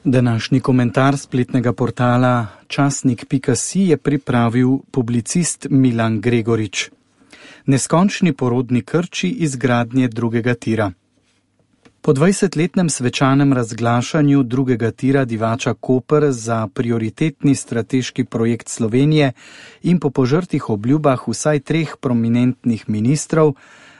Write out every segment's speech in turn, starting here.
Današnji komentar spletnega portala časnik.si je pripravil publicist Milan Gregorič. Neskončni porodni krči izgradnje drugega tira. Po 20-letnem svečanem razglašanju drugega tira Divača-Koper za prioritetni strateški projekt Slovenije in po požrtih obljubah vsaj 3 prominentnih ministrov,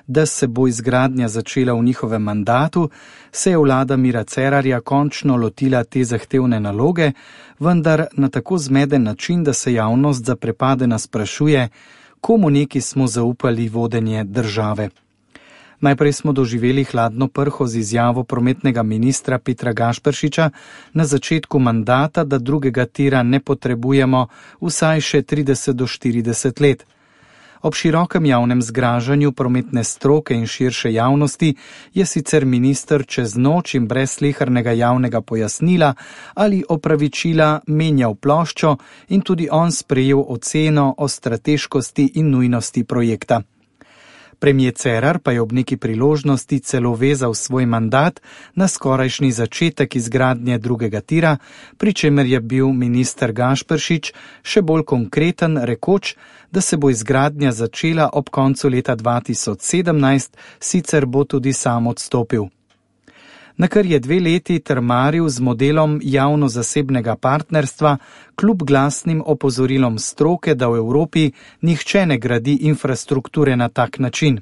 da se bo izgradnja začela v njihovem mandatu, se je vlada Mira Cerarja končno lotila te zahtevne naloge, vendar na tako zmeden način, da se javnost zaprepadena sprašuje, komu neki smo zaupali vodenje države. Najprej smo doživeli hladno prho z izjavo prometnega ministra Petra Gašperšiča na začetku mandata, da drugega tira ne potrebujemo vsaj še 30 do 40 let. Ob širokem javnem zgražanju prometne stroke in širše javnosti je sicer minister čez noč in brez slehernega javnega pojasnila ali opravičila menjal ploščo in tudi on sprejel oceno o strateškosti in nujnosti projekta. Premier Cerar pa je ob neki priložnosti celo vezal svoj mandat na skorajšnji začetek izgradnje drugega tira, pri čemer je bil minister Gašperšič še bolj konkreten, rekoč, da se bo izgradnja začela ob koncu leta 2017, sicer bo tudi sam odstopil. Nakar je 2 leti trmaril z modelom javno-zasebnega partnerstva, kljub glasnim opozorilom stroke, da v Evropi nihče ne gradi infrastrukture na tak način.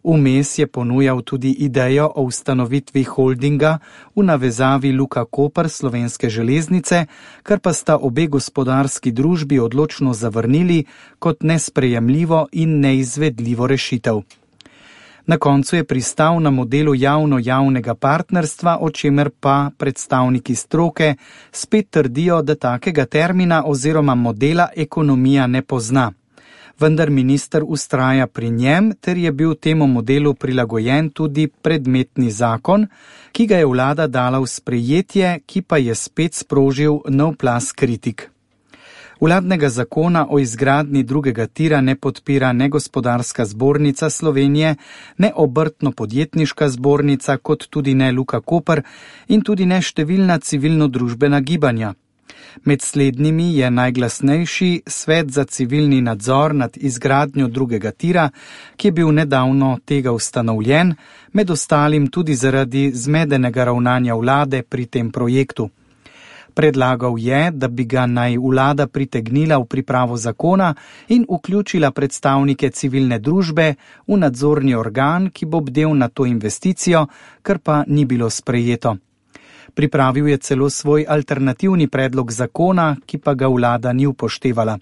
Vmes je ponujal tudi idejo o ustanovitvi holdinga v navezavi Luka Koper Slovenske železnice, kar pa sta obe gospodarski družbi odločno zavrnili kot nesprejemljivo in neizvedljivo rešitev. Na koncu je pristal na modelu javno-javnega partnerstva, o čemer pa predstavniki stroke spet trdijo, da takega termina oziroma modela ekonomija ne pozna. Vendar minister vztraja pri njem, ter je bil temu modelu prilagojen tudi predmetni zakon, ki ga je vlada dala v sprejetje, ki pa je spet sprožil nov plaz kritik. Vladnega zakona o izgradnji drugega tira ne podpira ne Gospodarska zbornica Slovenije, ne Obrtno-podjetniška zbornica, kot tudi ne Luka Koper in tudi ne številna civilno-družbena gibanja. Med slednjimi je najglasnejši Svet za civilni nadzor nad izgradnjo drugega tira, ki je bil nedavno tega ustanovljen, med ostalim tudi zaradi zmedenega ravnanja vlade pri tem projektu. Predlagal je, da bi ga naj vlada pritegnila v pripravo zakona in vključila predstavnike civilne družbe v nadzorni organ, ki bo bdel na to investicijo, kar pa ni bilo sprejeto. Pripravil je celo svoj alternativni predlog zakona, ki pa ga vlada ni upoštevala.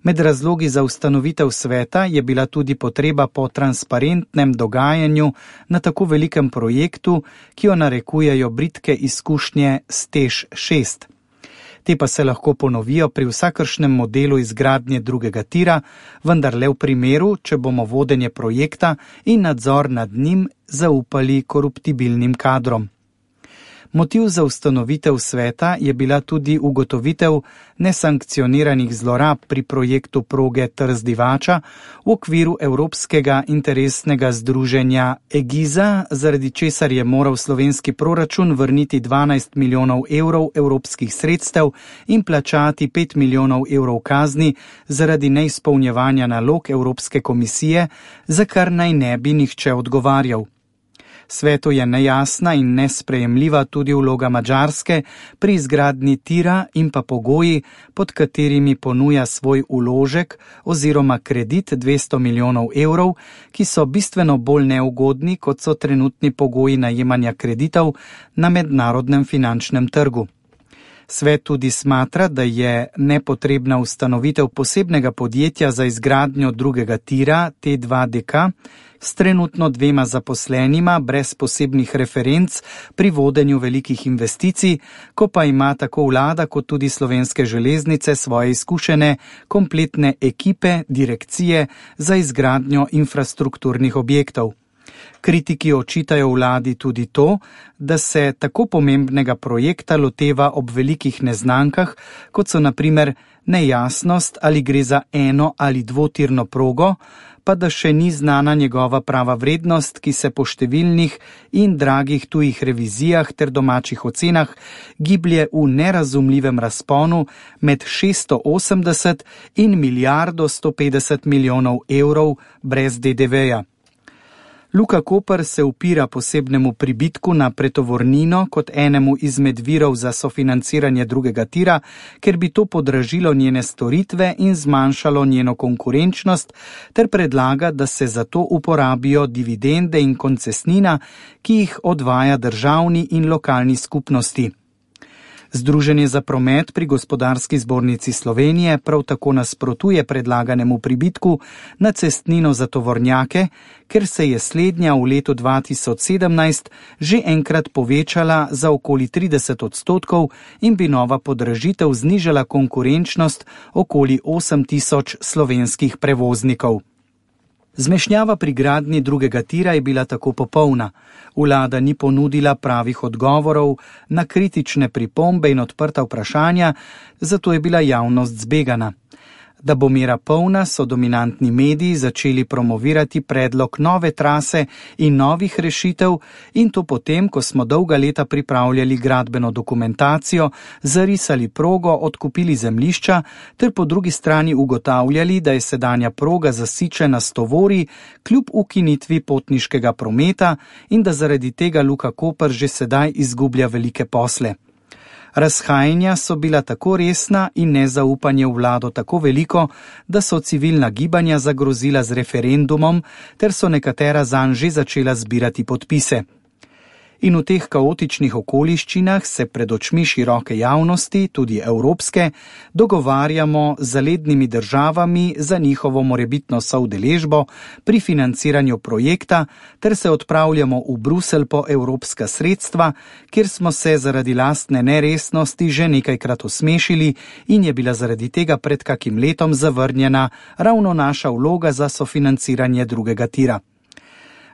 Med razlogi za ustanovitev sveta je bila tudi potreba po transparentnem dogajanju na tako velikem projektu, ki jo narekujejo bridke izkušnje s TEŠ 6. Te pa se lahko ponovijo pri vsakršnem modelu izgradnje drugega tira, vendar le v primeru, če bomo vodenje projekta in nadzor nad njim zaupali koruptibilnim kadrom. Motiv za ustanovitev sveta je bila tudi ugotovitev nesankcioniranih zlorab pri projektu proge Trst-Divača v okviru Evropskega interesnega združenja EGIZA, zaradi česar je moral slovenski proračun vrniti 12 milijonov evrov evropskih sredstev in plačati 5 milijonov evrov kazni zaradi neizpolnjevanja nalog Evropske komisije, za kar naj ne bi nihče odgovarjal. Svetu je nejasna in nesprejemljiva tudi vloga Madžarske pri izgradnji tira in pa pogoji, pod katerimi ponuja svoj vložek oziroma kredit 200 milijonov evrov, ki so bistveno bolj neugodni, kot so trenutni pogoji najemanja kreditov na mednarodnem finančnem trgu. Svet tudi smatra, da je nepotrebna ustanovitev posebnega podjetja za izgradnjo drugega tira T2DK s trenutno 2 zaposlenima brez posebnih referenc pri vodenju velikih investicij, ko pa ima tako vlada kot tudi Slovenske železnice svoje izkušene kompletne ekipe, direkcije za izgradnjo infrastrukturnih objektov. Kritiki očitajo vladi tudi to, da se tako pomembnega projekta loteva ob velikih neznankah, kot so na primer nejasnost, ali gre za eno- ali dvotirno progo, pa da še ni znana njegova prava vrednost, ki se po številnih in dragih tujih revizijah ter domačih ocenah giblje v nerazumljivem razponu med 680 in milijardo 150 milijonov evrov brez DDV-ja. Luka Koper se upira posebnemu pribitku na pretovornino kot enemu izmed virov za sofinanciranje drugega tira, ker bi to podražilo njene storitve in zmanjšalo njeno konkurenčnost, ter predlaga, da se za to uporabijo dividende in koncesnina, ki jih odvaja državni in lokalni skupnosti. Združenje za promet pri Gospodarski zbornici Slovenije prav tako nasprotuje predlaganemu pribitku na cestnino za tovornjake, ker se je slednja v letu 2017 že enkrat povečala za okoli 30% in bi nova podražitev znižala konkurenčnost okoli 8.000 slovenskih prevoznikov. Zmešnjava pri gradnji drugega tira je bila tako popolna. Vlada ni ponudila pravih odgovorov na kritične pripombe in odprta vprašanja, zato je bila javnost zbegana. Da bo mera polna, so dominantni mediji začeli promovirati predlog nove trase in novih rešitev, in to potem, ko smo dolga leta pripravljali gradbeno dokumentacijo, zarisali progo, odkupili zemljišča, ter po drugi strani ugotavljali, da je sedanja proga zasičena s tovori kljub ukinitvi potniškega prometa in da zaradi tega Luka Koper že sedaj izgublja velike posle. Razhajanja so bila tako resna in nezaupanje v vlado tako veliko, da so civilna gibanja zagrozila z referendumom, ter so nekatera zanj že začela zbirati podpise. In v teh kaotičnih okoliščinah se pred očmi široke javnosti, tudi evropske, dogovarjamo z zalednimi državami za njihovo morebitno soudeležbo pri financiranju projekta, ter se odpravljamo v Bruselj po evropska sredstva, kjer smo se zaradi lastne neresnosti že nekajkrat osmešili in je bila zaradi tega pred kakim letom zavrnjena ravno naša vloga za sofinanciranje drugega tira.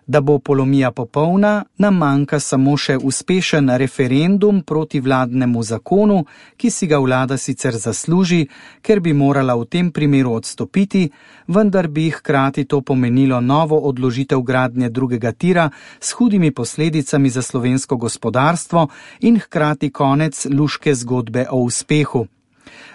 Da bo polomija popolna, nam manjka samo še uspešen referendum proti vladnemu zakonu, ki si ga vlada sicer zasluži, ker bi morala v tem primeru odstopiti, vendar bi hkrati to pomenilo novo odložitev gradnje drugega tira s hudimi posledicami za slovensko gospodarstvo in hkrati konec luške zgodbe o uspehu.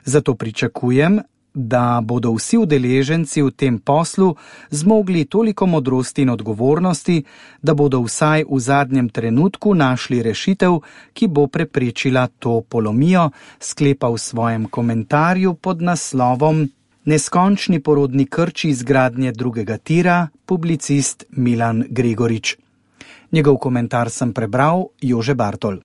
Zato pričakujem, da bodo vsi udeleženci v tem poslu zmogli toliko modrosti in odgovornosti, da bodo vsaj v zadnjem trenutku našli rešitev, ki bo preprečila to polomijo, sklepa v svojem komentarju pod naslovom Neskončni porodni krči izgradnje drugega tira, publicist Milan Gregorič. Njegov komentar sem prebral Jože Bartol.